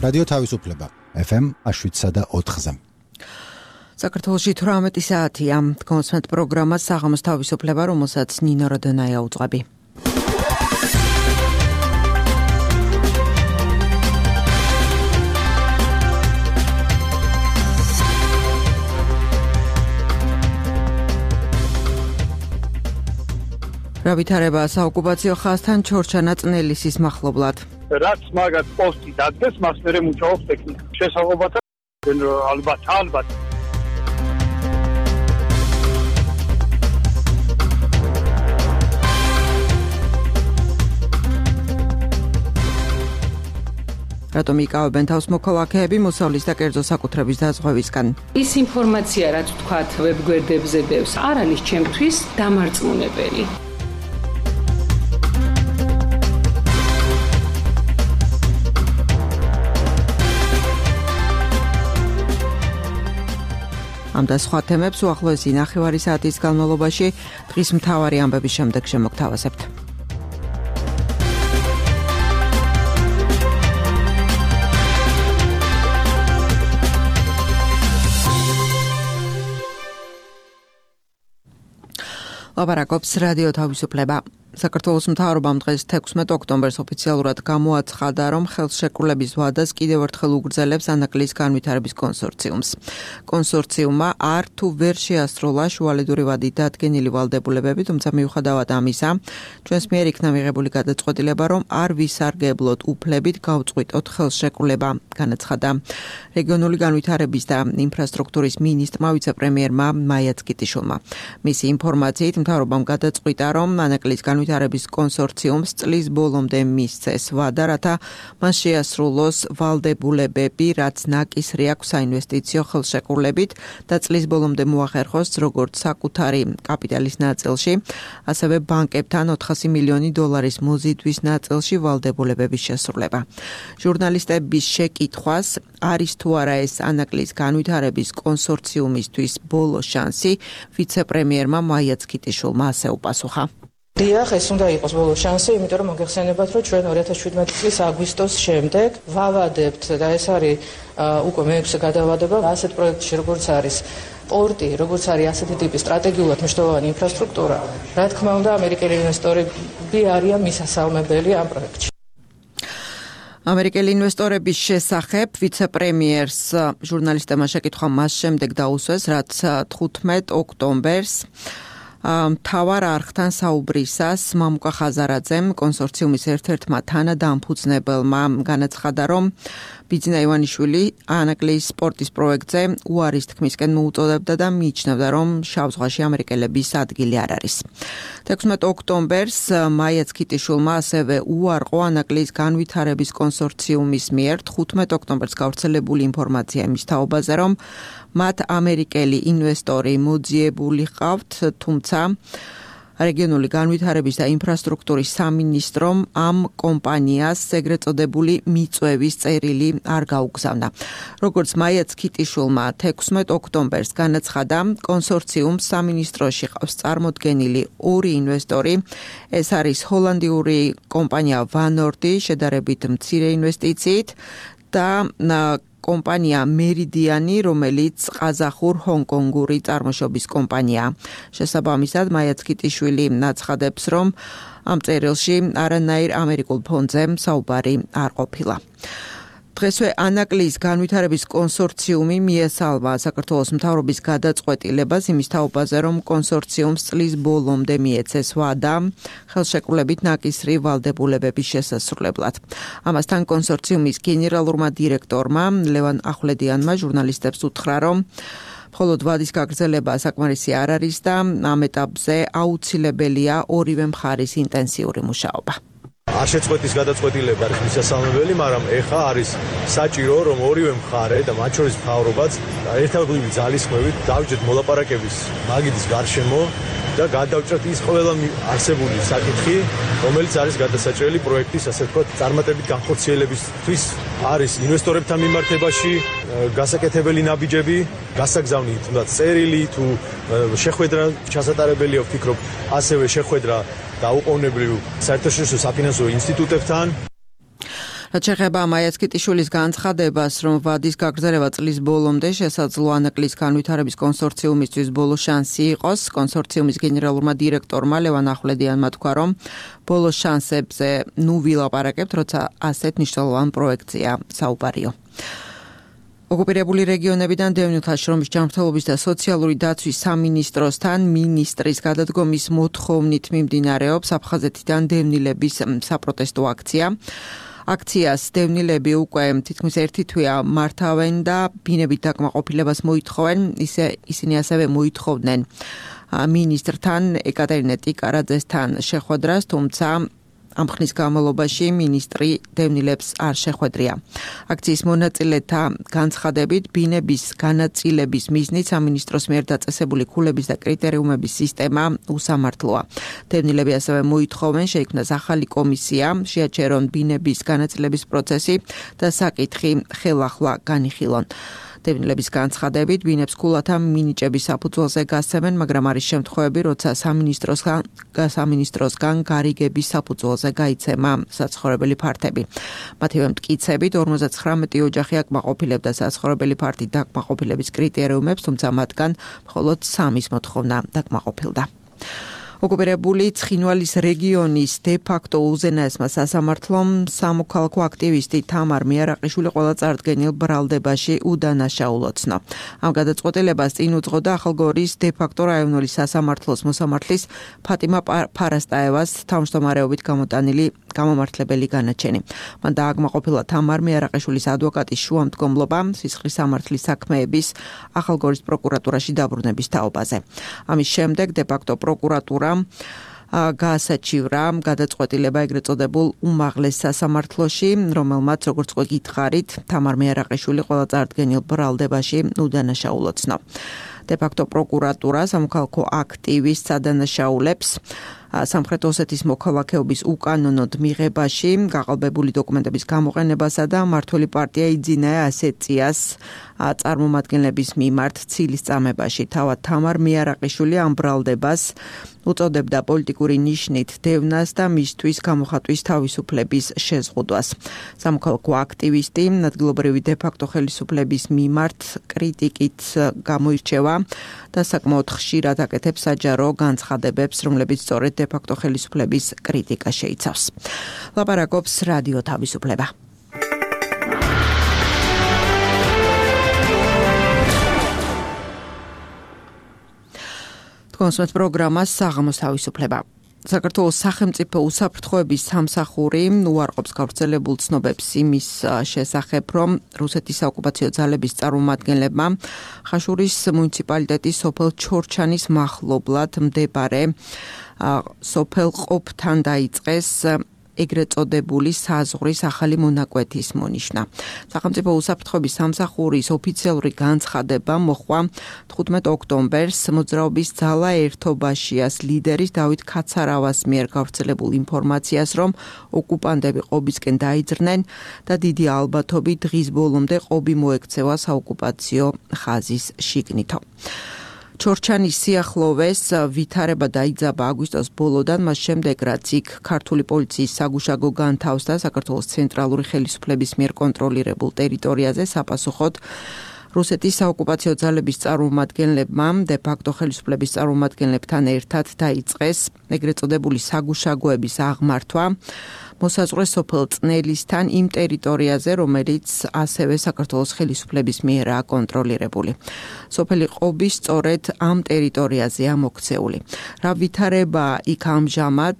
რადიო თავისუფლება FM 7.4-ზე. საქართველოში 18 საათია. კონსმეთ პროგრამა საღამოს თავისუფლება, რომელსაც ნინო როდონაია უძღვები. რა ვითარება საოკუპაციო ხაზთან ჩორჩანა წნელისის მახლობლად. რაც მაგათ პოსტი დადგეს, მას მერე მუშაობს ტექნიკა. შესაძლებლობათა ალბათ. რატომ იკავებენ თავს მოქალაქეები მოსავლის და კერძო საკუთრების დაზღვევისგან? ის ინფორმაცია, რაც ვთქვათ ვებგვერდებზე დევს, არ არის ჩემთვის დამარწმუნებელი. ამ და სხვა თემებს უახლოესი ნახევარი საათის განმავლობაში დღის მთავარი ამბების შემდეგ შემოგთავაზებთ. ლაპარაკობს რადიო თავისუფლება. საქართველოს მთავრობამ დღეს 16 ოქტომბერს ოფიციალურად გამოაცხადა, რომ ხელშეკრულების ვადას კიდევ ერთხელ უგრძელებს ანაკლიის განვითარების კონსორციუმს. კონსორციუმმა არ თუ ვერ შეასრულა შუალედური ვადით დადგენილი ვალდებულებები, თუმცა მიუხედავად ამისა, ჩვენს მიერ იქნა მიღებული გადაწყვეტილება, რომ არ ვისარგებლოთ უფლებით გავწყვიტოთ ხელშეკრულება, განაცხადა რეგიონული განვითარების და ინფრასტრუქტურის მინისტრმა ვიცე-პრემიერმა მაია ცკიტიშვილმა. მისი ინფორმაციით მთავრობამ გადაწყვიტა, რომ ანაკლიის განვითარების კონსორციუმს წლის ბოლომდე მისცეს ვადა, რათა მას შეასრულოს ვალდებულებები, რაც ნაკისრი აქვს საინვესტიციო ხელშეკრულებით და წლის ბოლომდე მოახერხოს როგორც საკუთარი კაპიტალის ნაწილში, ასევე ბანკებთან 400 მილიონი დოლარის მოზიდვის ნაწილში ვალდებულებების შესრულება. ჟურნალისტების შეკითხვას, არის თუ არა ეს ანაკლიის განვითარების კონსორციუმისთვის ბოლო შანსი, ვიცე-პრემიერმა მაია ცკიტიშვილმა ასე უპასუხა. დიახ, ეს უნდა იყოს ბოლო შანსი, იმიტომ რომ მოგეხსენებათ, რომ ჩვენ 2017 წლის აგვისტოს შემდეგ ვავადებთ და ეს არის უკვე მეექვსე გადავადება ასეთ პროექტში, როგორც არის პორტი, როგორც არის ასეთი ტიპის სტრატეგიულად მნიშვნელოვანი ინფრასტრუქტურა. რა თქმა უნდა, ამერიკელი ინვესტორები არიან მისასალმებელი ამ პროექტში. ამერიკელი ინვესტორების შესახებ ვიცე-პრემიერს ჟურნალისტებმა შეკითხვა მას შემდეგ დაუსვეს, რაც 15 ოქტომბერს მთავარ არხთან საუბრისას მამუკა ხაზარაძემ კონსორციუმის ერთ-ერთმა თანადამფუძნებელმა განაცხადა, რომ ბიძინა ივანიშვილი ანაკლიის სპორტის პროექტზე უარის თქმისკენ მოუწოდებდა და მიიჩნევდა, რომ შავ ზღვაში ამერიკელების ადგილი არ არის. 16 ოქტომბერს მაია ცკიტიშვილმა ასევე უარყო ანაკლიის განვითარების კონსორციუმის მიერ 15 ოქტომბერს გავრცელებული ინფორმაცია იმის თაობაზე, რომ მათ ამერიკელი ინვესტორი მოძიებული ჰყავთ, თუმცა რეგიონული განვითარების და ინფრასტრუქტურის სამინისტრომ ამ კომპანიას ეგრეთ წოდებული მიწვევის წერილი არ გაუგზავნა. როგორც მაია ცკიტიშვილმა 16 ოქტომბერს განაცხადა, კონსორციუმს სამინისტროში ყავს წარმოდგენილი ორი ინვესტორი. ეს არის ჰოლანდიური კომპანია ვანორდი, შედარებით მცირე ინვესტიციით და კომპანია მერიდიანი, რომელიც ყაზახურ-ჰონკონგური წარმოშობის კომპანია. შესაბამისად, მაია ცკიტიშვილი აცხადებს, რომ ამ წერილში არანაირ ამერიკულ ფონდზე საუბარი არ ყოფილა. დღესვე ანაკლიის განვითარების კონსორციუმი მიესალმა საქართველოს მთავრობის გადაწყვეტილებას იმის თაობაზე, რომ კონსორციუმს წლის ბოლომდე მიეცეს ვადა ხელშეკრულებით ნაკისრი ვალდებულებების შესასრულებლად. ამასთან კონსორციუმის გენერალურმა დირექტორმა ლევან ახვლედიანმა ჟურნალისტებს უთხრა, რომ მხოლოდ ვადის გაგრძელება საკმარისი არ არის და ამ ეტაპზე აუცილებელია ორივე მხარის ინტენსიური მუშაობა. არ შეწყვეტის გადაწყვეტილება არის მისასალმებელი, მაგრამ ეხა არის საჭირო, რომ ორივე მხარე და მათ შორის მთავრობაც ერთობლივი ძალისხმევით დავიჯეთ მოლაპარაკების მაგიდის გარშემო და გადავჭრათ ის ყველა არსებული საკითხი, რომელიც არის გადასაჭრელი პროექტის, ასე ვთქვათ, წარმატებით განხორციელებისთვის. არის ინვესტორებთან მიმართებაში გასაკეთებელი ნაბიჯები, გასაგზავნი თუნდაც წერილი თუ შეხვედრა ჩასატარებელია, ვფიქრობ, ასევე შეხვედრა დაუყოვნებლივ საერთაშორისო საფინანსო ინსტიტუტებთან. რაც შეეხება მაიას კიტიშვილის განცხადებას, რომ ვადის გაგრძელება წლის ბოლომდე შესაძლოა ანაკლის განვითარების კონსორციუმისთვის ბოლო შანსი იყოს, კონსორციუმის გენერალურმა დირექტორმა ლევან ახვლედიანმა თქვა, რომ ბოლო შანსებზე ვილაპარაკებთ, როცა ასეთ მნიშვნელოვან პროექტზეა საუბარიო. ოკუპირებული რეგიონებიდან დევნილთა შრომის ჯანმრთელობის და სოციალური დაცვის სამინისტროსთან მინისტრის გადადგომის მოთხოვნით მიმდინარეობს აფხაზეთიდან დევნილების საპროტესტო აქცია. აქციას დევნილები უკვე თითქმის ერთი თვეა მართავენ და ბინებით დაკმაყოფილებას მოითხოვენ, ისინი ასევე მოითხოვდნენ მინისტრთან ეკატერინე ტიკარაძესთან შეხვედრას, თუმცა ამ ხნის განმავლობაში მინისტრი დევნილებს არ შეხვედრია. აქციის მონაწილეთა განცხადებით, ბინების განაწილების მიზნით სამინისტროს მიერ დაწესებული ქულების და კრიტერიუმების სისტემა უსამართლოა. დევნილები ასევე მოითხოვენ შეიქმნას ახალი კომისია, შეაჩერონ ბინების განაწილების პროცესი და საკითხი ხელახლა განიხილონ. დევნილების განცხადებით, ბინებს ქულათა მინიჭების საფუძველზე გასცემენ, მაგრამ არის შემთხვევები, როცა სამინისტროსგან გარიგების საფუძველზე გაიცემა საცხოვრებელი ფართები. მათივე მტკიცებით 59 ოჯახი აკმაყოფილებდა საცხოვრებელი ფართით დაკმაყოფილების კრიტერიუმებს, თუმცა მათგან მხოლოდ 3-ის მოთხოვნა დაკმაყოფილდა. ოკუპირებული ცხინვალის რეგიონის დე-ფაქტო უზენაესმა სასამართლომ სამოქალაქო აქტივისტი თამარ მიარაყიშვილი ყველა წარდგენილ ბრალდებაში უდანაშაულო ცნო. ამ გადაწყვეტილებას წინ უძღოდა ახალგორის დე-ფაქტო რაიონული სასამართლოს მოსამართლის ფატიმა ფარასტაევას თავმჯდომარეობით გამოტანილი გამომართლებელი განაჩენი. მან დააკმაყოფილა თამარ მიარაყიშვილის ადვოკატის შუამდგომლობა სისხლის სამართლის საქმეების ახალგორის პროკურატურაში დაბრუნების თაობაზე. ამის შემდეგ დე-ფაქტო პროკურატურა გაასაჩივრა გადაწყვეტილება ეგრეთ წოდებულ უმაღლეს სასამართლოში, რომელმაც როგორც უკვე გითხარით, თამარ მიარაყიშვილი ყველა წარდგენილ ბრალდებაში უდანაშაულო ცნო. დე-ფაქტო პროკურატურა სამოქალაქო აქტივის სადანაშაულებს სამხრეთ ოსეთის მოქალაქეობის უკანონოდ მიღებაში, გაყალბებული დოკუმენტების გამოყენებასა და მმართველი პარტია იძინა ასეციას წარმომადგენლების მიმართ ცილის წამებაში. თავად თამარ მიარაყიშვილი ამ ბრალდებას უწოდებდა პოლიტიკური ნიშნით დევნას და მისთვის გამოხატვის თავისუფლების შეზღუდვას. სამოქალაქო აქტივისტი ადგილობრივი დე-ფაქტო ხელისუფლების მიმართ კრიტიკით გამოირჩევა და საკმაოდ ხშირად აკეთებს საჯარო განცხადებებს, რომლებიც სწორედ დე-ფაქტო ხელისუფლების კრიტიკა შეიცავს. ლაპარაკობს რადიო თავისუფლება. კონსულტ პროგრამას საღამოს თავისუფლება. საქართველოს სახელმწიფო უსაფრთხოების სამსახური უარყოფს გავრცელებულ ცნობებს იმის შესახებ, რომ რუსეთის საოკუპაციო ძალების წარმომადგენლებმა ხაშურის მუნიციპალიტეტის სოფელ ჩორჩანის მახლობლად მდებარე სოფელ ყოფთან დაიწყეს ეგრეთ წოდებული საზღვრის ახალი მონაკვეთის მონიშნა. სახელმწიფო უსაფრთხოების სამსახურის ოფიციალური განცხადება მოხვა 15 ოქტომბერს მოძრაობის ძალა ერთობაშიას ლიდერის დავით ქაცარავას მიერ გავრცელებულ ინფორმაციას, რომ ოკუპანტები ყობისკენ დაიძრნენ და დიდი ალბათობით დღის ბოლომდე ყობი მოექცევა საოკუპაციო ხაზის შიგნითო. ჩორჩანის სიახლოვეს ვითარება დაიძაბა აგვისტოს ბოლოდან, მას შემდეგ რაც იქ ქართული პოლიციის საგუშაგო განთავსდა საქართველოს ცენტრალური ხელისუფლების მიერ კონტროლირებულ ტერიტორიაზე საპასუხოდ რუსეთის საოკუპაციო ძალების წარმომადგენლებმა დე-ფაქტო ხელისუფლების წარმომადგენლებთან ერთად დაიწყეს ეგრეთ წოდებული საგუშაგოების აღმართვა მოსაზღვრე სოფელ წნელისთან იმ ტერიტორიაზე, რომელიც ასევე საქართველოს ხელისუფლების მიერაა კონტროლირებული. სოფელი ყობი სწორედ ამ ტერიტორიაზეა მოქცეული. რა ვითარება იქ ამჟამად,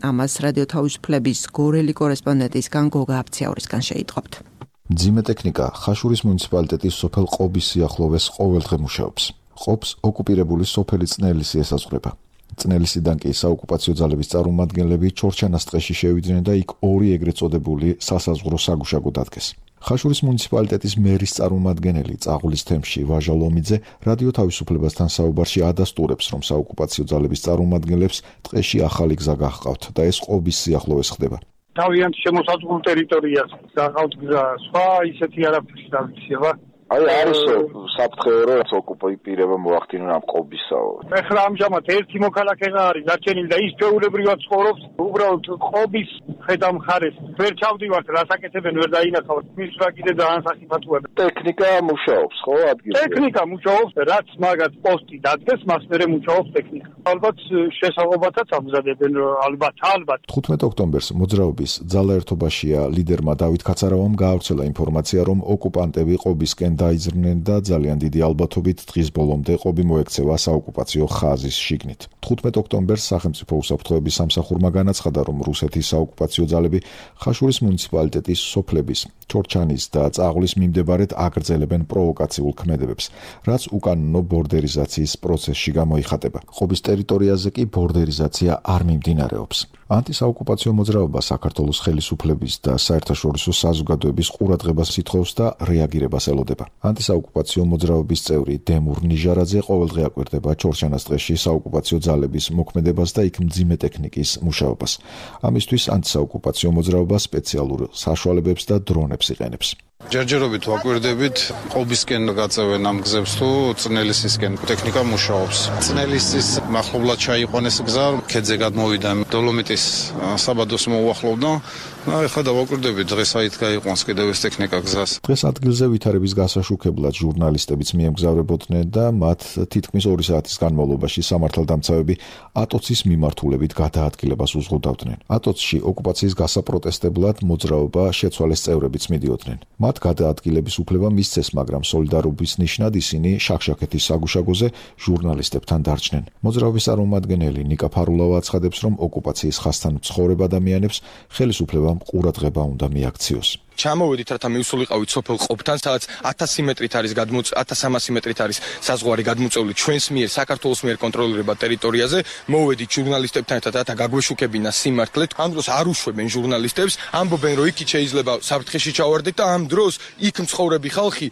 ამას რადიო თავისუფლების გორელი კორესპონდენტისგან გოგა აფციაურისგან შეიტყობთ. მძიმე ტექნიკა ხაშურის მუნიციპალიტეტის სოფელ ყობის სიახლოვეს ყოველდღე მუშაობს. ყობს ოკუპირებული სოფელი წნელისი ესაზღვრება. წნელისიდან კი საოკუპაციო ძალების წარმომადგენლები ჩორჩანას ტყეში შევიდნენ და იქ ორი ეგრეთ წოდებული სასაზღვრო საგუშაგო დადგეს. ხაშურის მუნიციპალიტეტის მერის წარმომადგენელი წაღულის თემში ვაჟა ლომიძე რადიო თავისუფლებასთან საუბარში ადასტურებს, რომ საოკუპაციო ძალების წარმომადგენლებს ტყეში ახალი გზა გაჰყავთ და ეს ყობის სიახლოვეს ხდება. თავიანთ შემოსაზღვრულ ტერიტორიას გაყავთ გზა, სხვა ისეთი არაფერი დავიცება. აი არის საფრთხე რომ ოკუპირება მოახდინონ ამ ყობისაო. ეხლა ამჟამად ერთი მოქალაქე არის დარჩენილი და ის ჩვეულებრივად ცხოვრობს უბრალოდ ყობის ხედავ მხარეს ვერ ჩავდივართ, რასაკეთებენ ვერ დაინახავთ, მის რა კიდე ძალიან სახიფათოა. ტექნიკა მუშაობს, ხო, ადგილზე? ტექნიკა მუშაობს, რაც მაგათ პოსტი დადგეს, მას მერე მუშაობს ტექნიკა. ალბათ შესაძლებლობათაც ამზადებენ, ალბათ. 15 ოქტომბერს მოძრაობის ძალაერთობაშია ლიდერმა დავით ქაცარავამ გაავრცელა ინფორმაცია, რომ ოკუპანტები ყობისკენ დაიძრნენ და ძალიან დიდი ალბათობით დღის ბოლომდე ყობი მოექცევა საოკუპაციო ხაზის შიგნით. 15 ოქტომბერს სახელმწიფო უსაფრთხოების სამსახურმა განაცხადა, რომ რუსეთის საოკუპაციო ძალები ხაშურის მუნიციპალიტეტის სოფლების ჩორჩანის და წაღვლის მიმდებარედ აგრძელებენ პროვოკაციულ ქმედებებს, რაც უკანონო ბორდერიზაციის პროცესში გამოიხატება. ყობის ტერიტორიაზე კი ბორდერიზაცია არ მიმდინარეობს. ანტისაოკუპაციო მოძრაობა საქართველოს ხელისუფლების და საერთაშორისო საზოგადოების ყურადღებას ითხოვს და რეაგირებას ელოდება. ანტისაოკუპაციო მოძრაობის წევრი დემურ ნიჟარაძე ყოველდღე აკვირდება ჩორჩანას ტყეში საოკუპაციო ძალების მოქმედებას და იქ მძიმე ტექნიკის მუშაობას. ამისთვის ანტისაოკუპაციო მოძრაობა სპეციალურ საშუალებებს და დრონებს იყენებს. ჯერჯერობით ვაკვირდებით ყობისკენ გაწევენ ამ გზებს თუ წნელისისკენ ტექნიკა მუშაობს. წნელისის მახლობლად ჩაიყვანეს გზა, ქედზე გადმოვიდა დოლომიტის საბადოს მოუახლოვდა. ეხლა დავაკვირდებით დღეს აით გაიყვანს კიდევ ეს ტექნიკა გზას. დღეს ადგილზე ვითარების გასაშუქებლად ჟურნალისტებიც მიემგზავრებოდნენ და მათ თითქმის 2 საათის განმავლობაში სამართალდამცავები ატოცის მიმართულებით გადაადგილებას უზღუდავდნენ. ატოცში ოკუპაციის გასაპროტესტებლად მოძრაობა შეცვალეს წევრებიც მიდიოდნენ. მათ გადაადგილების უფლება მისცეს, მაგრამ სოლიდარობის ნიშნად ისინი შახშაქეთის საგუშაგოზე ჟურნალისტებთან დარჩნენ. მოძრაობის წარმომადგენელი ნიკა ფარულავა აცხადებს, რომ ოკუპაციის ხაზთან მცხოვრებ ადამიანებს ხელისუფლებამ ყურადღება უნდა მიაქციოს. ჩამოვედით, რათა მივსულიყავით სოფელ ყოფთან, სადაც 1000 მეტრით არის 1300 მეტრით არის საზღვარი გადმოწეული ჩვენს მიერ, საქართველოს მიერ კონტროლირებად ტერიტორიაზე. მოვედით ჟურნალისტებთან ერთად, რათა გაგვეშუქებინა სიმართლე. ამ დროს არ უშვებენ ჟურნალისტებს, ამბობენ, რომ იქით შეიძლება საფრთხეში ჩავარდეთ და ამ დროს იქ მცხოვრები ხალხი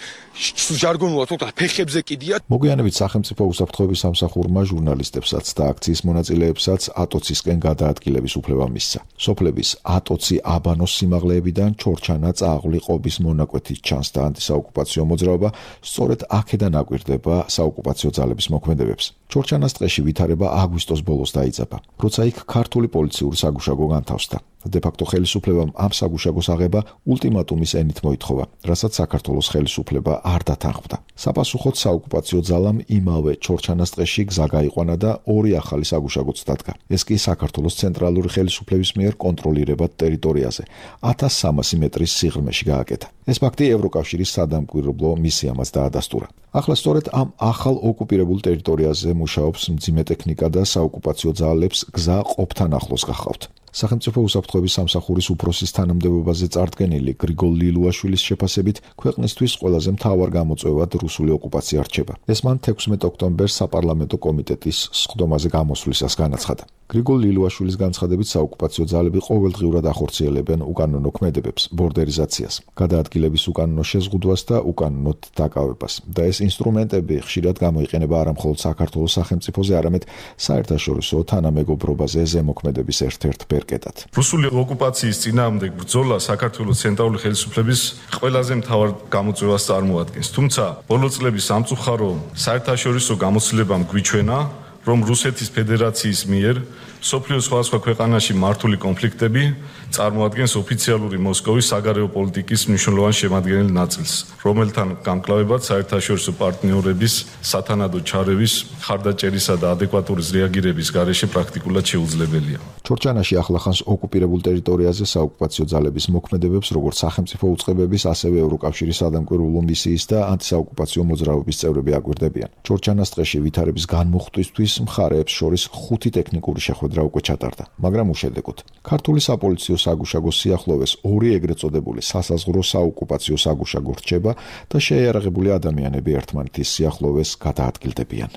ჟარგონულად ვთქვათ, ფეხებზე კიდიათ. მოგვიანებით სახელმწიფო უსაფრთხოების სამსახურმა ჟურნალისტებსაც და აქციის მონაწილეებსაც ატოცისკენ გადაადგილების უფლება მისცა. სოფლების ატოცი აბანოს სიმაღლეებიდან ჩორჩანა წააღლი ყობის მონაკვეთით ჩანს და ანტისაოკუპაციო მოძრაობა სწორედ აქედან აკვირდება საოკუპაციო ძალების მოქმედებებს. ჩორჩანას ტყეში ვითარება აგვისტოს ბოლოს დაიძაბა, როცა იქ ქართული პოლიციური საგუშაგო განთავსდა. დე-ფაქტო ხელისუფლებამ ამ საგუშაგოს აღება ულტიმატუმის ენით მოითხოვა, რასაც საქართველოს ხელისუფლება არ დათანხმდა. საპასუხოდ საოკუპაციო ძალამ იმავე ჩორჩანას ტყეში გზა გაიყვანა და 2 ახალი საგუშაგოც დადგა. ეს კი საქართველოს ცენტრალური ხელისუფლების მიერ კონტროლირებად ტერიტორიაზე 1300 მეტრის სიღრმეში გააკეთა. ეს ფაქტი ევროკავშირის სადამკვირვებლო მისიამაც დაადასტურა. ახლა სწორედ ამ ახალ ოკუპირებულ ტერიტორიაზე მუშაობს მძიმე ტექნიკა და საოკუპაციო ძალებს გზა ყოფთან ახლოს გახავთ. სახელმწიფო უსაფრთხოების სამსახურის უფროსის თანამდებობაზე წარდგენილი გრიგოლ ლილუაშვილის შეფასებით ქვეყნისთვის ყველაზე მთავარ გამოწვევად რუსული ოკუპაცია რჩება. ეს მან 16 ოქტომბერს საპარლამენტო კომიტეტის სხდომაზე გამოსვლისას განაცხადა. გრიგოლ ლილუაშვილის განცხადებით საოკუპაციო ძალები ყოველდღიურად ახორციელებენ უკანონო ქმედებებს, ბორდერიზაციას, გადაადგილების უკანონო შეზღუდვას და უკანონოდ დაკავებას. და ეს ინსტრუმენტები ხშირად გამოიყენება არა მხოლოდ საქართველოს სახელმწიფოზე, არამედ საერთაშორისო თანამეგობრობაზე ზემოქმედების ერთ-ერთ ბერკეტად. რუსული ოკუპაციის წინააღმდეგ ბრძოლა საქართველოს ცენტრალური ხელისუფლების ყველაზე მთავარ გამოწვევას წარმოადგენს. თუმცა ბოლო წლების სამწუხარო საერთაშორისო გამოცდილებამ გვიჩვენა, რომ რუსეთის ფედერაციის მიერ სოფლიოს სხვადასხვა ქვეყანაში მართული კონფლიქტები წარმოადგენს ოფიციალური მოსკოვის საგარეო პოლიტიკის მნიშვნელოვან შემადგენელ ნაწილს, რომელთან გამკლავებაც საერთაშორისო პარტნიორების სათანადო ჩარევის, ხარდაჭერისა და ადეკვატური რეაგირების გარეშე პრაქტიკულად შეუძლებელია. ჩორჩანაში ახლახანს ოკუპირებულ ტერიტორიაზე საოკუპაციო ძალების მოქმედებებს როგორც სახელმწიფო უწყებების, ასევე ევროკავშირის სადამკვირვებლო მისიის და ანტისაოკუპაციო მოძრაობის წევრები აკვირდებიან. ჩორჩანას ტყეში ვითარების განმუხტვისთვის მხარეებს შორის 5 ტექნიკური შეხვედრა უკვე ჩატარდა, მაგრამ უშედეგოდ. ქართული საპოლიციო საგუშაგოს სიახლოვეს 2 ეგრეთ წოდებული სასაზღვრო საოკუპაციო საგუშაგო რჩება და შეიარაღებული ადამიანები ერთმანეთის სიახლოვეს გადაადგილდებიან.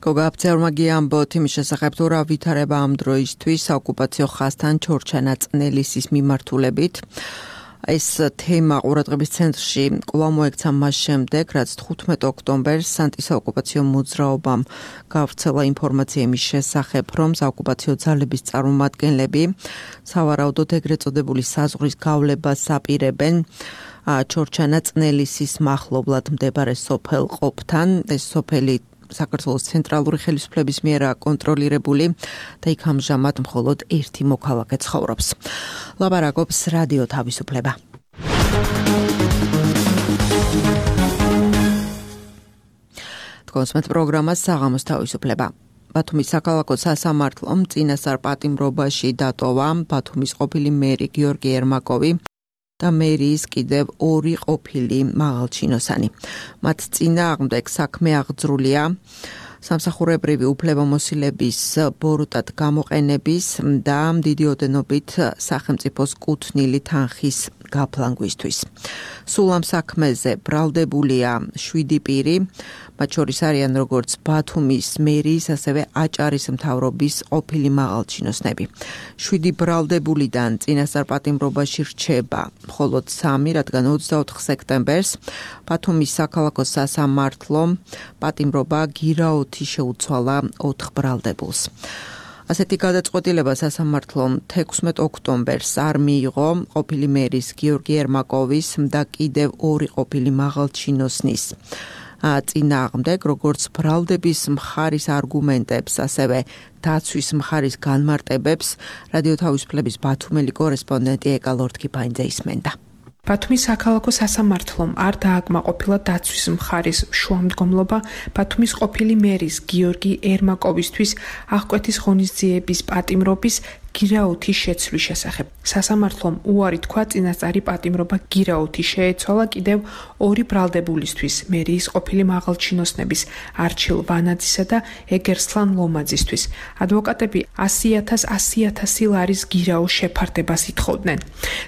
გოგა აფცეურმა გიამბოთ იმის შესახებ, თუ რა ვითარება ამ დროისთვის საოკუპაციო ხაზთან ჩორჩანა წნელისის მიმართულებით. ეს თემა ყურადღების ცენტრში კვლავ მოექცა მას შემდეგ, რაც 15 ოქტომბერს ანტისაოკუპაციო მოძრაობამ გავრცელა ინფორმაცია იმის შესახებ, რომ საოკუპაციო ძალების წარმომადგენლები სავარაუდოდ ეგრეთ წოდებული საზღვრის გავლებას აპირებენ ჩორჩანა წნელისის მახლობლად მდებარე სოფელ ყოფთან. ეს სოფელი საქართველოს ცენტრალური ხელისუფლების მიერ კონტროლირებული და იქ ამჟამად მხოლოდ ერთი მოქალაქე ცხოვრობს. ლაპარაკობს რადიო თავისუფლება. თქვენს პროგრამას საღამოს თავისუფლება. ბათუმის საქალაქო სასამართლომ წინასწარ პატიმრობაში დატოვა ბათუმის ყოფილი მერი გიორგი ერმაკოვი და მერიის კიდევ ორი ყოფილი მაღალჩინოსანი. მათ წინააღმდეგ საქმე აღძრულია სამსახურებრივი უფლებამოსილების ბოროტად გამოყენების და დიდი ოდენობით სახელმწიფოს კუთვნილი თანხის გაფლანგვისთვის. სულ ამ საქმეზე ბრალდებულია 7 პირი, მათ შორის არიან როგორც ბათუმის მერიის, ასევე აჭარის მთავრობის ყოფილი მაღალჩინოსნები. 7 ბრალდებულიდან წინასწარ პატიმრობაში რჩება მხოლოდ 3, რადგან 24 სექტემბერს ბათუმის საქალაქო სასამართლომ პატიმრობა გირაოთი შეუცვალა 4 ბრალდებულს. ასეთი გადაწყვეტილება სასამართლომ 16 ოქტომბერს არ მიიღო ყოფილი მერის გიორგი ერმაკოვის და კიდევ 2 ყოფილი მაღალჩინოსნის წინააღმდეგ, როგორც ბრალდების მხარის არგუმენტებს, ასევე დაცვის მხარის განმარტებებს რადიო თავისუფლების ბათუმელი კორესპონდენტი ეკა ლორთქიფაინძე ისმენდა. ბათუმის საქალაქო სასამართლომ არ დააკმაყოფილა დაცვის მხარის შუამდგომლობა ბათუმის ყოფილი მერის გიორგი ერმაკოვისთვის აღკვეთის ღონისძიების პატიმრობის გირაოთის შეცვლის შესახებ. სასამართლომ უარი თქვა წინასწარი პატიმრობა გირაოთი შეეცვალა კიდევ 2 ბრალდებულისთვის, მერიის ყოფილი მაღალჩინოსნების არჩილ ვანაძისა და ეგერსლან ლომაძისთვის. ადვოკატები 100,000 ლარის გირაოს შეფარდებას ითხოვდნენ.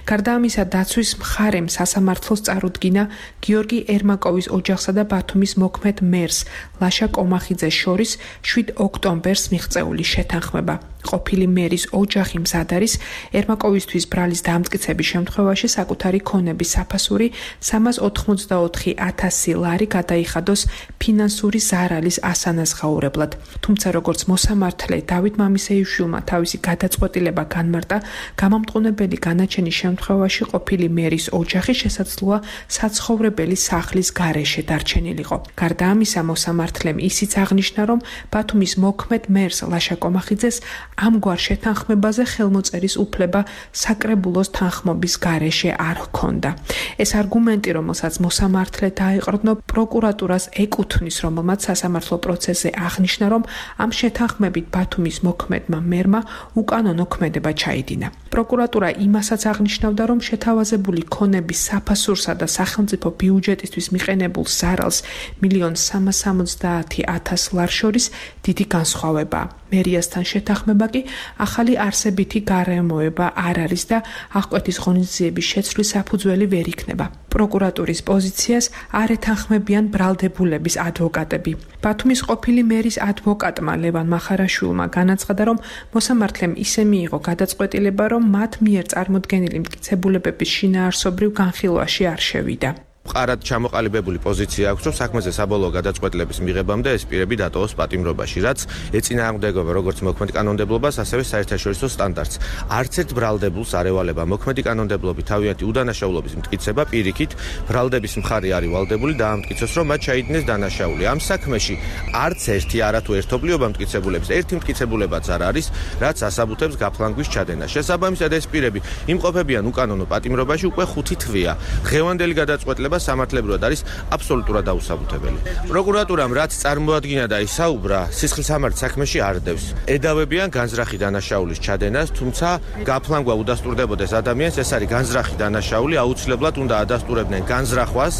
გარდა ამისა, დაცვის მხარემ სასამართლოს წარუდგინა გიორგი ერმაკოვის ოჯახსა და ბათუმის მოქმედ მერს ლაშა კომახიძეს შორის 7 ოქტომბერს მიღწეული შეთანხმება. ყოფილი მერის ოჯახი მზად არის ერმაკოვისთვის ბრალის დამტკიცების შემთხვევაში საკუთარი ქონების საფასური 384,000 ლარი გადაიხადოს ფინანსური ზარალის ასანაზღაურებლად. თუმცა როგორც მოსამართლე დავით მამისეიშვილმა თავისი გადაწყვეტილება განმარტა, გამამტყუნებელი განაჩენის შემთხვევაში ყოფილი მერის ოჯახი შესაძლოა საცხოვრებელი სახლის გარეშე დარჩენილიყო. გარდა ამისა, მოსამართლემ ისიც აღნიშნა, რომ ბათუმის მოქმედ მერს ლაშა კომახიძეს ამგვარ შეთანხმებაზე ხელმოწერის უფლება საკრებულოს თანხმობის გარეშე არ ჰქონდა. ეს არგუმენტი, რომელსაც მოსამართლე დაეყრდნო, პროკურატურას ეკუთვნის, რომელმაც სასამართლო პროცესზე აღნიშნა, რომ ამ შეთანხმებით ბათუმის მოქმედმა მერმა უკანონო ქმედება ჩაიდინა. პროკურატურა იმასაც აღნიშნავდა, რომ შეთავაზებული ქონების საფასურსა და სახელმწიფო ბიუჯეტისთვის მიყენებულ ზარალს 1,370,000 ლარს შორის დიდი განსხვავებაა. მერიასთან შეთანხმება კი ახალი არსებითი გარემოება არ არის და აღკვეთის ღონისძიების შეცვლის საფუძველი ვერ იქნება. პროკურატურის პოზიციას არ ეთანხმებიან ბრალდებულების ადვოკატები. ბათუმის ყოფილი მერის ადვოკატმა ლევან მახარაშვილმა განაცხადა, რომ მოსამართლემ ისე მიიღო გადაწყვეტილება, რომ მათ მიერ წარმოდგენილი მტკიცებულებების შინაარსობრივ განხილვაში არ შევიდა. მყარად ჩამოყალიბებული პოზიცია აქვს, რომ საქმეზე საბოლოო გადაწყვეტილების მიღებამდე ეს პირები დატოვოს პატიმრობაში, რაც ეწინააღმდეგება როგორც მოქმედ კანონმდებლობას, ასევე საერთაშორისო სტანდარტს. არც ერთ ბრალდებულს არ ევალება მოქმედი კანონმდებლობით თავიანთი უდანაშაულობის მტკიცება, პირიქით, ბრალდების მხარე არის ვალდებული დაამტკიცოს, რომ მათ ჩაიდინეს დანაშაული. ამ საქმეში არც ერთი არათუ ერთობლიობა მტკიცებულების, ერთი მტკიცებულებაც არ არის, რაც ასაბუთებს გაფლანგვის ჩადენას. შესაბამისად, ეს პირები იმყოფებიან უკანონო პატიმრობაში უკვე 5 თვეა. დღევანდელი გადაწყვეტილება სამართლებრივად არის აბსოლუტურად დაუსაბუთებელი. პროკურატურამ რაც წარმოადგინა და ისაუბრა, სისხლისამართლ საქმეში არ დევს. ედავებიან განზრახი დანაშაულის ჩადენას, თუმცა გაფლანგვა უდასტურდებოდეს ადამიანს, ეს არის განზრახი დანაშაული, აუცილებლად უნდა ადასტურებდნენ განზრახვას,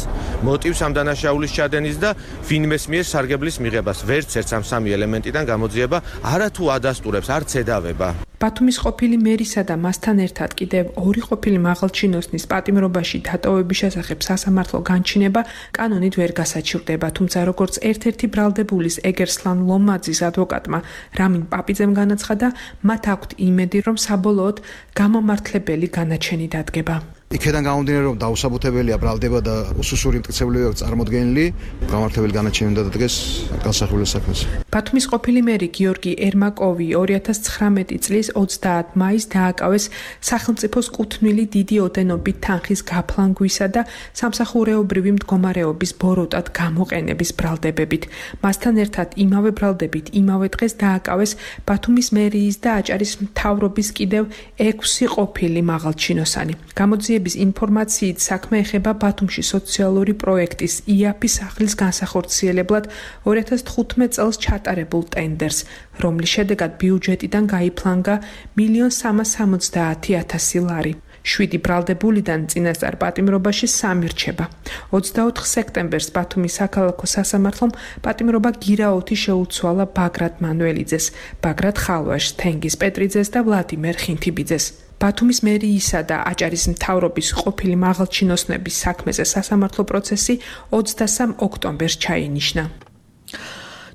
მოტივს ამ დანაშაულის ჩადენის და ვინმეს მიერ სარგებლის მიღებას. ვერც ერთ ამ 3 ელემენტიდან გამოძიება არათუ ადასტურებს, არც ედავება. ბათუმის ყოფილი მერისა და მასთან ერთად კიდევ 2 ყოფილი მაღალჩინოსნის პატიმრობაში დატოვების შესახებ სასამართლო განჩინება კანონით ვერ გასაჩივრდება, თუმცა როგორც ერთ-ერთი ბრალდებულის ეგერსლან ლომაძის ადვოკატმა რამინ პაპიძემ განაცხადა, მათ აქვთ იმედი, რომ საბოლოოდ გამამართლებელი განაჩენი დადგება. იქედან გამომდინარე რომ დაუსაბუთებელია ბრალდება და უსუსური მტკიცებულებია წარმოდგენილი, გამართლებელი განაჩენი უნდა დადგეს განსახილველ საქმეზე. ბათუმის ყოფილი მერი გიორგი ერმაკოვი 2019 წლის 30 მაისს დააკავეს სახელმწიფოს კუთვნილი დიდი ოდენობით თანხის გაფლანგვისა და სამსახურეობრივი მდგომარეობის ბოროტად გამოყენების ბრალდებებით. მასთან ერთად იმავე ბრალდებით იმავე დღეს დააკავეს ბათუმის მერიის და აჭარის მთავრობის კიდევ 6 ყოფილი მაღალჩინოსანი. გამოძიების ინფორმაციით საქმე ეხება ბათუმში სოციალური პროექტის იაფის სახლის განსახორციელებლად 2015 წელს ჩატარებულ ტენდერს, რომლის შედეგად ბიუჯეტიდან გაიფლანგა 1.370.000 ლარი. 7 ბრალდებულიდან წინასწარ პატიმრობაში 3 რჩება. 24 სექტემბერს ბათუმის საქალაქო სასამართლომ პატიმრობა გირაოთი შეუცვალა ბაგრატ მანუელიძეს, ბაგრატ ხალვაშს, თენგიზ პეტრიძეს და ვლადიმერ ხინთიბიძეს. ბათუმის მერიისა და აჭარის მთავრობის ყოფილი მაღალჩინოსნების საქმეზე სასამართლო პროცესი 23 ოქტომბერს ჩაინიშნა.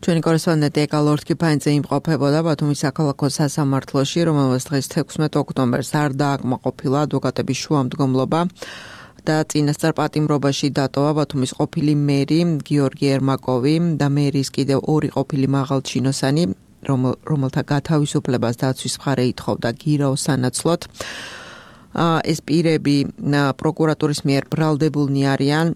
ჩვენი კორესპონდენტი ეკალორთკი ფაინძე იმყოფებოდა ბათუმის საქალაქო სასამართლოში, რომელსაც დღეს 16 ოქტომბერს არ დააკმაყოფილა ადვოკატების შუამდგომლობა და წინასწარ პატიმრობაში დატოვა ბათუმის ყოფილი მერი გიორგი ერმაკოვი და მერის კიდევ 2 ყოფილი მაღალჩინოსანი, რომელთა გათავისუფლებას დაცვის მხარე ითხოვდა გირაოს სანაცვლოდ. ეს პირები პროკურატურის მიერ ბრალდებულნი არიან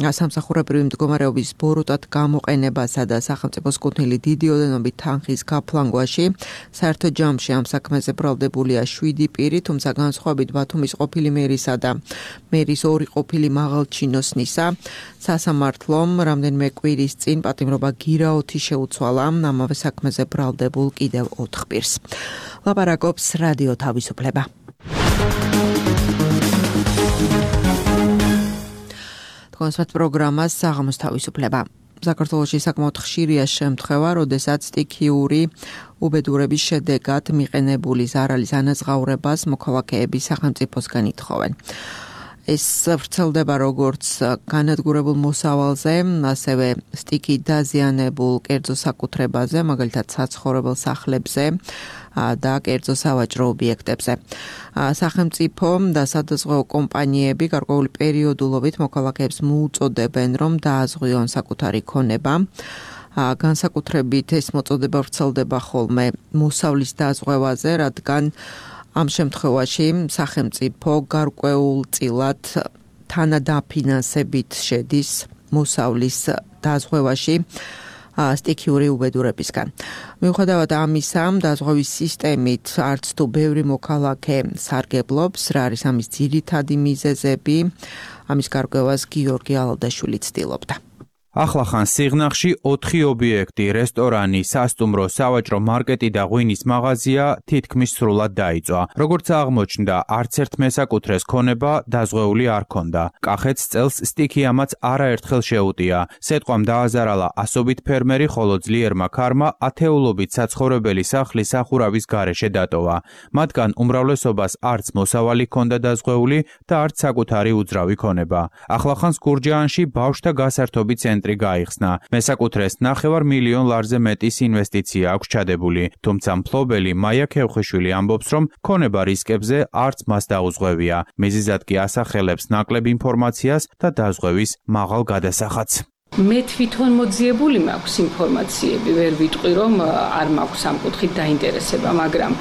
სამსახურებრივი მდგომარეობის ბოროტად გამოყენებასა და სახელმწიფოს კუთვნილი დიდი ოდენობით თანხის გაფლანგვაში. საერთო ჯამში ამ საქმეზე ბრალდებულია 7 პირი, თუმცა განსხვავებით ბათუმის ყოფილი მერისა და მერის 2 ყოფილი მაღალჩინოსნისა, სასამართლომ რამდენიმე კვირის წინ პატიმრობა გირაოთი შეუცვალა ამავე საქმეზე ბრალდებულ კიდევ 4 პირს. ლაპარაკობს რადიო თავისუფლება. კონსერტ პროგრამას საღამოს თავისუფლება. საქართველოში საკმაოდ ხშირია შემთხვევა, როდესაც სტიქიური უბედურების შედეგად მიყენებული ზარალის ანაზღაურებას მოქალაქეები სახელმწიფოსგან ითხოვენ. ეს ვრცელდება როგორც განადგურებულ მოსავალზე, ასევე სტიქით დაზიანებულ კერძო საკუთრებაზე, მაგალითად საცხოვრებელ სახლებზე და კერძო სავაჭრო ობიექტებზე. სახელმწიფო და სადაზღვევო კომპანიები გარკვეული პერიოდულობით მოქალაქეებს მოუწოდებენ, რომ დააზღვიონ საკუთარი ქონება. განსაკუთრებით ეს მოწოდება ვრცელდება ხოლმე მოსავლის დაზღვევაზე, რადგან ამ შემთხვევაში სახელმწიფო გარკვეულწილად თანადაფინანსებით შედის მოსავლის დაზღვევაში სტიქიური უბედურებისგან. მიუხედავად ამისა, დაზღვევის სისტემით არც თუ ბევრი მოქალაქე სარგებლობს, რა არის ამის ძირითადი მიზეზები, ამის გარკვევას გიორგი ალადაშვილი ცდილობდა. ახლახან სიღნაღში 4 ობიექტი, რესტორანი, სასტუმრო, სავაჭრო მარკეტი და ღვინის მაღაზია თითქმის სრულად დაიწვა. როგორც აღმოჩნდა, არც ერთ მესაკუთრეს ქონება დაზღვეული არ ქონდა. კახეთს წელს სტიქიამაც არაერთხელ შეუტია. სეტყვამ დააზარალა ასობით ფერმერი, ხოლო ძლიერმა ქარმა ათეულობით საცხოვრებელი სახლის სახურავის გარეშე დატოვა. მათგან უმრავლესობას არც მოსავალი ქონდა დაზღვეული და არც საკუთარი უძრავი ქონება. ახლახანს გურჯაანში ბავშვთა გასართობი ცენტრი გაიხსნა. მესაკუთრეს 9 მილიონ ლარზე მეტის ინვესტიცია აქვს ჩადებული, თუმცა მფლობელი მაია ქევხიშვილი ამბობს, რომ ქონება რისკებზე არც მას დაუძღვევია. მიზეზად კი ასახელებს ნაკლებ ინფორმაციას და დაზღვევის მაღალ გადასახადს. მე თვითონ მოძიებული მაქვს ინფორმაციები, ვერ ვიტყვი რომ არ მაქვს ამ კუთხით დაინტერესება, მაგრამ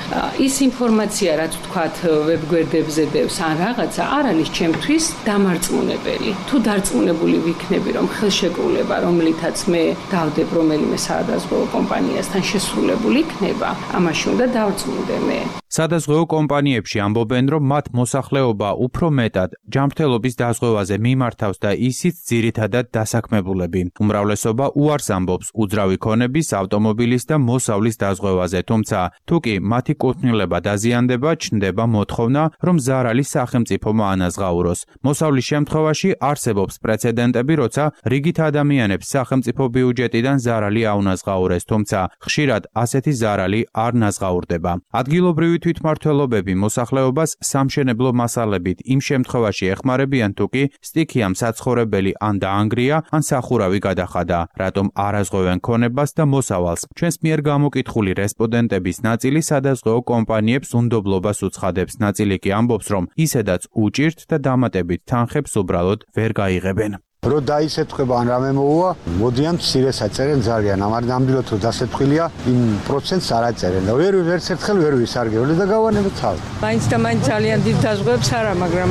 ის ინფორმაცია, რაც ვთქვათ ვებგვერდებზე დევს ან რაღაცა, არ არის ჩემთვის დამარწმუნებელი. თუ დარწმუნებული ვიქნები, რომ ხელშეკრულება, რომლითაც მე დავდებ რომელიმე სადაზღვევო კომპანიასთან შესრულებული იქნება, ამაში უნდა დავწმუნდე მე. სადაზღვევო კომპანიებში ამბობენ, რომ მათ მოსახლეობა უფრო მეტად ჯანმრთელობის დაზღვევაზე მიმართავს და ისიც ძირითადად დასაქმებულები. უმრავლესობა უარს ამბობს უძრავი ქონების, ავტომობილის და მოსავლის დაზღვევაზე, თუმცა თუ კი მათი კუთვნილება დაზიანდება, ჩნდება მოთხოვნა, რომ ზარალი სახელმწიფომ აანაზღაუროს. მოსავლის შემთხვევაში არსებობს პრეცედენტები, როცა რიგით ადამიანებს სახელმწიფო ბიუჯეტიდან ზარალი აუნაზღაურეს, თუმცა ხშირად ასეთი ზარალი არ ნაზღაურდება. ადგილობრივი თვითმმართველობები მოსახლეობას სამშენებლო მასალებით იმ შემთხვევაში ეხმარებიან, თუ კი სტიქიამ საცხოვრებელი ან დაანგრია, ან სახურავი გადახადა, რატომ არაზღვევენ ქონებას და მოსავალს. ჩვენს მიერ გამოკითხული რესპონდენტების ნაწილი სადაზღვეო კომპანიებს უნდობლობას უცხადებს, ნაწილი კი ამბობს, რომ ისედაც უჭირთ და დამატებით თანხებს უბრალოდ ვერ გაიღებენ. Რო დაისეთქვება ან რამე მოუვა, მოდიან მცირეს აწერენ ძალიან, ამარ ნამდვილად რო დასეთქвилია, იმ პროცენტს არ აწერენ და ვერ ერთხელ ვერ ვისარგებლე და გავანებთ თავი. მაინც და მაინც ძალიან დიდ დაზღვევებს არა, მაგრამ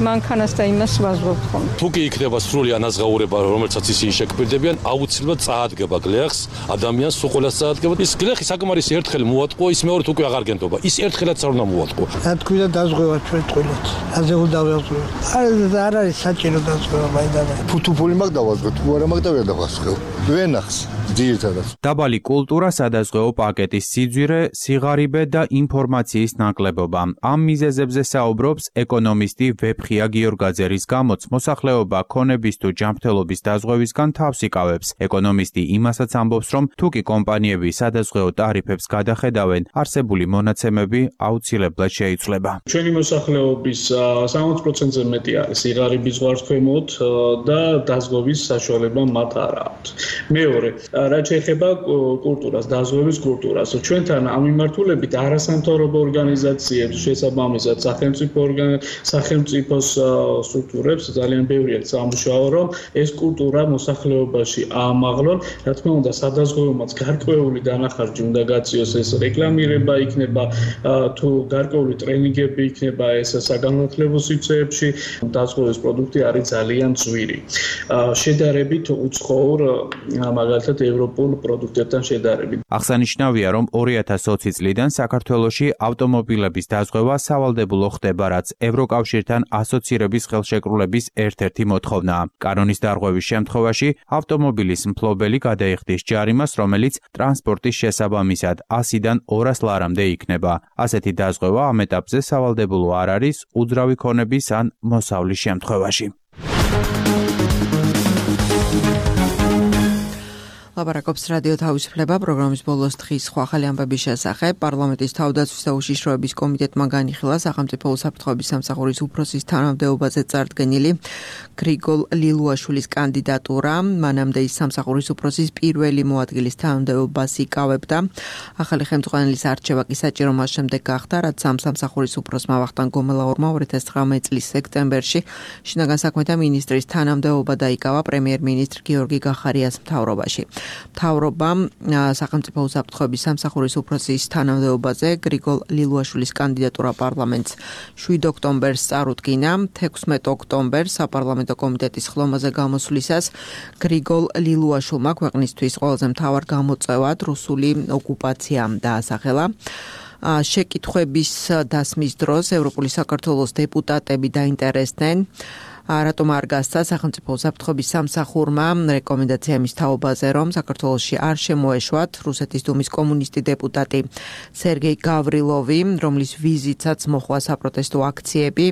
მანქანას და იმას ვაზღვევთ ხოლმე. თუ კი იქნება სრული ანაზღაურება, რომელსაც ისინი შეგვირდებიან, აუცილებლად წაადგება გლეხს, ადამიანს სულ ყველას წაადგება. ის გლეხი საკმარისი ერთხელ მოატყო, ის მეორედ უკვე აღარ გენდობა. ის ერთხელაც არ უნდა მოატყო. რა თქვი და დაზღვევა ჩვენ ტყილოთ. აზე უნდა დავაზღვევ. არ არის საჭირო დაზღვევა მაინდანა. ფუთუფული მაგ დავაზღვე, თუ არა მაგ და ვერ დავასხევ. ვენახს ძირითადად. დაბალი კულტურა, სადაზღვეო პაკეტის სიძვირე, სიღარიბე და ინფორმაციის ნაკლებობა. ამ მიზეზებზე საუბრობს ეკონომისტი ვეფხია გიორგაძე, რის გამოც მოსახლეობა ქონების თუ ჯანმრთელობის დაზღვევისგან თავს იკავებს. ეკონომისტი იმასაც ამბობს, რომ თუ კი კომპანიები სადაზღვეო ტარიფებს გადახედავენ, არსებული მონაცემები აუცილებლად შეიცვლება. ჩვენი მოსახლეობის 60%-ზე მეტი არის სიღარიბის ზღვარქვემოთ და დაზღვევის საშუალება მათ არ აქვს. მეორე, რაც შეეხება კულტურას, დაზღვევის კულტურას, ჩვენთან ამ მიმართულებით არასამთავრობო ორგანიზაციებს, შესაბამისად სახელმწიფოს სტრუქტურებს ძალიან ბევრი აქვს სამუშაო, რომ ეს კულტურა მოსახლეობაში აამაღლონ. რა თქმა უნდა, სადაზღვევომაც გარკვეული დანახარჯი უნდა გაწიოს, ეს რეკლამირება იქნება, თუ გარკვეული ტრენინგები იქნება ეს საგანმანათლებლო სივრცეებში, დაზღვევის პროდუქტი არის ძალიან ძვირი. შედარებით უცხოურ მაგალითად ევროპულ პროდუქტებთან შედარებით. აღსანიშნავია, რომ 2020 წლიდან საქართველოში ავტომობილების დაზღვევა სავალდებულო ხდება, რაც ევროკავშირთან ასოცირების ხელშეკრულების ერთ-ერთი მოთხოვნაა. კანონის დარღვევის შემთხვევაში ავტომობილის მფლობელი გადაიხდის ჯარიმას, რომელიც ტრანსპორტის შესაბამისად 100-დან 200 ლარამდე იქნება. ასეთი დაზღვევა ამ ეტაპზე სავალდებულო არ არის უძრავი ქონების ან მოსავლის შემთხვევაში. ლაპარაკობს რადიო თავისუფლება პროგრამის ბოლოს დღის სხვა ახალი ამბების შესახებ. პარლამენტის თავდაცვის და უშიშროების კომიტეტმა განიხილა სახელმწიფო უსაფრთხოების სამსახურის უფროსის თანამდებობაზე წარდგენილი გრიგოლ ლილუაშვილის კანდიდატურა. მანამდე ის სამსახურის უფროსის პირველი მოადგილის თანამდებობას იკავებდა. ახალი ხელმძღვანელის არჩევა კი საჭირო მას შემდეგ გახდა, რაც ამ სამსახურის უფროსმა ვახტანგ გომელაურმა 2019 წლის სექტემბერში შინაგან საქმეთა მინისტრის თანამდებობა დაიკავა პრემიერ-მინისტრ გიორგი გახარიას მთავრობაში. მთავრობამ სახელმწიფო უსაფრთხოების სამსახურის უფროსის თანამდებობაზე გრიგოლ ლილუაშვილის კანდიდატურა პარლამენტს 7 ოქტომბერს წარუდგინა. 16 ოქტომბერს საპარლამენტო კომიტეტის ხლომაზე გამოსვლისას გრიგოლ ლილუაშვილმა ქვეყნისთვის ყველაზე მთავარ გამოწვევად რუსული ოკუპაცია დაასახელა. შეკითხვების დასმის დროს ევროპული საქართველოს დეპუტატები დაინტერესდნენ, რატომ არ გასცა სახელმწიფო უსაფრთხოების სამსახურმა რეკომენდაცია მის თაობაზე, რომ საქართველოში არ შემოეშვათ რუსეთის დუმის კომუნისტი დეპუტატი სერგეი გავრილოვი, რომლის ვიზიტსაც მოხვა საპროტესტო აქციები.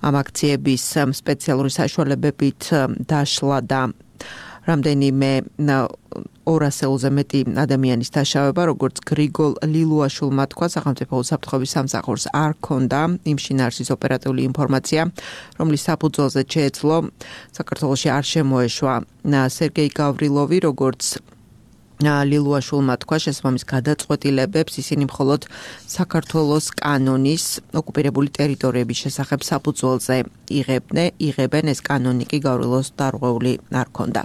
ამ აქციების სპეციალური საშუალებებით დაშლა და რამდენიმე 200-ზე მეტი ადამიანის დაშავება, როგორც გრიგოლ ლილუაშვილმა თქვა, სახელმწიფო უსაფრთხოების სამსახურს არ ჰქონდა იმ შინაარსის ოპერატიული ინფორმაცია, რომლის საფუძველზე შეეძლო საქართველოში არ შემოეშვა სერგეი გავრილოვი, როგორც ლილუაშვილმა თქვა, შესაბამის გადაწყვეტილებებს ისინი მხოლოდ საქართველოს კანონის ოკუპირებული ტერიტორიების შესახებ საფუძველზე იღებენ, ეს კანონი კი გავრილოს დარღვეული არ ჰქონდა.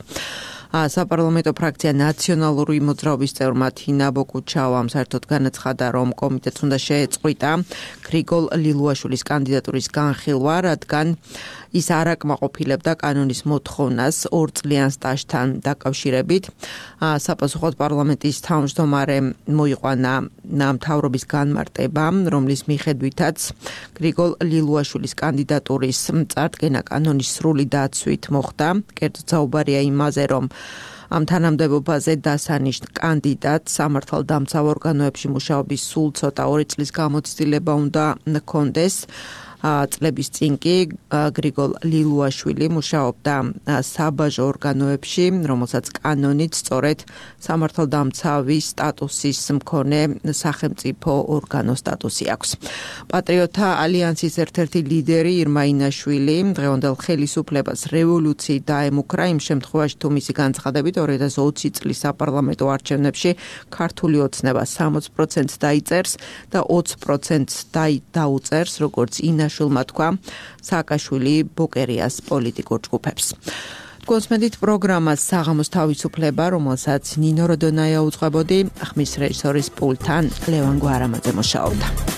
საპარლამენტო ფრაქცია ნაციონალური მოძრაობის წევრმა თინა ბოკუჩავამ საერთოდ განაცხადა, რომ კომიტეტს უნდა შეეწყვიტა გრიგოლ ლილუაშვილის კანდიდატურის განხილვა, რადგან ის არ აკმაყოფილებდა კანონის მოთხოვნას 2 წლიან სტაჟთან დაკავშირებით. საპასუხოდ პარლამენტის თავმჯდომარემ მოიყვანა მთავრობის განმარტება, რომლის მიხედვითაც გრიგოლ ლილუაშვილის კანდიდატურის წარდგენა კანონის სრული დაცვით მოხდა. კერძოდ საუბარია იმაზე, რომ ამ თანამდებობაზე დასანიშნ კანდიდატს სამართალდამცავ ორგანოებში მუშაობის სულ ცოტა 2 წლის გამოცდილება უნდა ჰქონდეს. წლების წინ კი გრიგოლ ლილუაშვილი მუშაობდა საბაჟო ორგანოებში, რომელსაც კანონით სწორედ სამართალდამცავის სტატუსის მქონე სახელმწიფო ორგანო სტატუსი აქვს. პატრიოტთა ალიანსის ერთ-ერთი ლიდერი ირმა ინაშვილი დღევანდელ ხელისუფლებას რევოლუციით დაემუქრა იმ შემთხვევაში, თუ მისი განცხადებით 2020 წლის საპარლამენტო არჩევნებში ქართული ოცნება 60% დაიწერს და 20% დაუწერს, როგორც ინაშვილმა თქვა, სააკაშვილი ბოკერიას პოლიტიკურ ჯგუფებს. კონსმედით პროგრამას საღამოს თავისუფლება, რომელსაც ნინო როდონაია უძღვებოდი, ხმის რეჟისორის პულტთან ლევან გვარამაძე მუშაობდა.